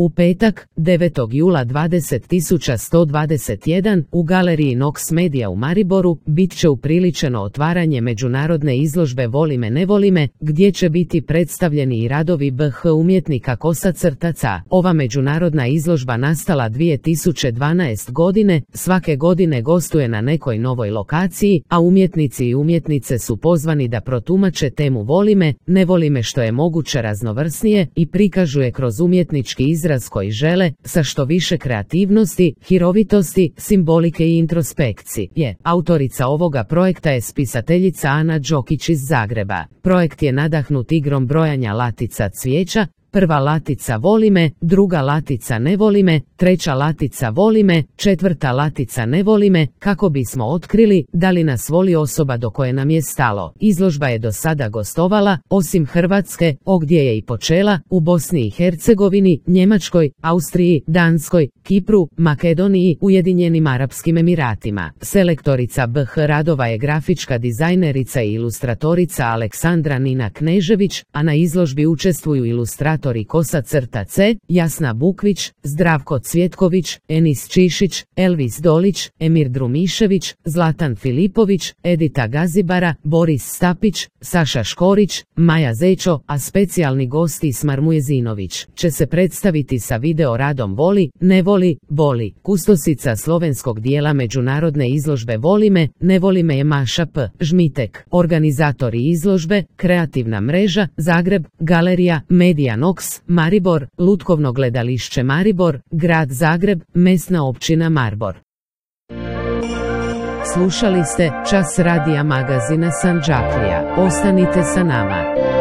U petak, 9. jula 20.121, u galeriji Nox Media u Mariboru, bit će upriličeno otvaranje međunarodne izložbe Voli me ne voli me, gdje će biti predstavljeni i radovi BH umjetnika Kosacrtaca. Ova međunarodna izložba nastala 2012. godine, svake godine gostuje na nekoj novoj lokaciji, a umjetnici i umjetnice su pozvani da protumače temu Voli me, ne voli me što je moguće raznovrsnije i prikažu je kroz umjetnički izraz koji žele, sa što više kreativnosti, hirovitosti, simbolike i introspekcije. Autorica ovoga projekta je spisateljica Ana Đokić iz Zagreba. Projekt je nadahnut igrom brojanja latica cvijeća, prva latica voli me, druga latica ne voli me, treća latica voli me, četvrta latica ne voli me, kako bismo otkrili da li nas voli osoba do koje nam je stalo. Izložba je do sada gostovala, osim Hrvatske, gdje je i počela, u Bosni i Hercegovini, Njemačkoj, Austriji, Danskoj, Kipru, Makedoniji, Ujedinjenim Arapskim Emiratima. Selektorica BH radova je grafička dizajnerica i ilustratorica Aleksandra Nina Knežević, a na izložbi učestvuju ilustratori Kosacrtac, Jasna Bukvić, Zdravko Cvjetković, Enis Čišić, Elvis Dolić, Emir Drumišević, Zlatan Filipović, Edita Gazibara, Boris Stapić, Saša Škorić, Maja Zečo, a specijalni gost Ismar Mujezinović će se predstaviti sa video radom Voli, ne voli, boli. Kustosica slovenskog dijela međunarodne izložbe Voli me, ne voli me je Maša P. Žmitek. Organizatori izložbe, Kreativna mreža, Zagreb, Galerija, Media Nox, Maribor, Lutkovno gledališće Maribor, Grad Zagreb, Mesna općina Maribor. Slušali ste Čas radija magazina Sandžaklija. Ostanite sa nama.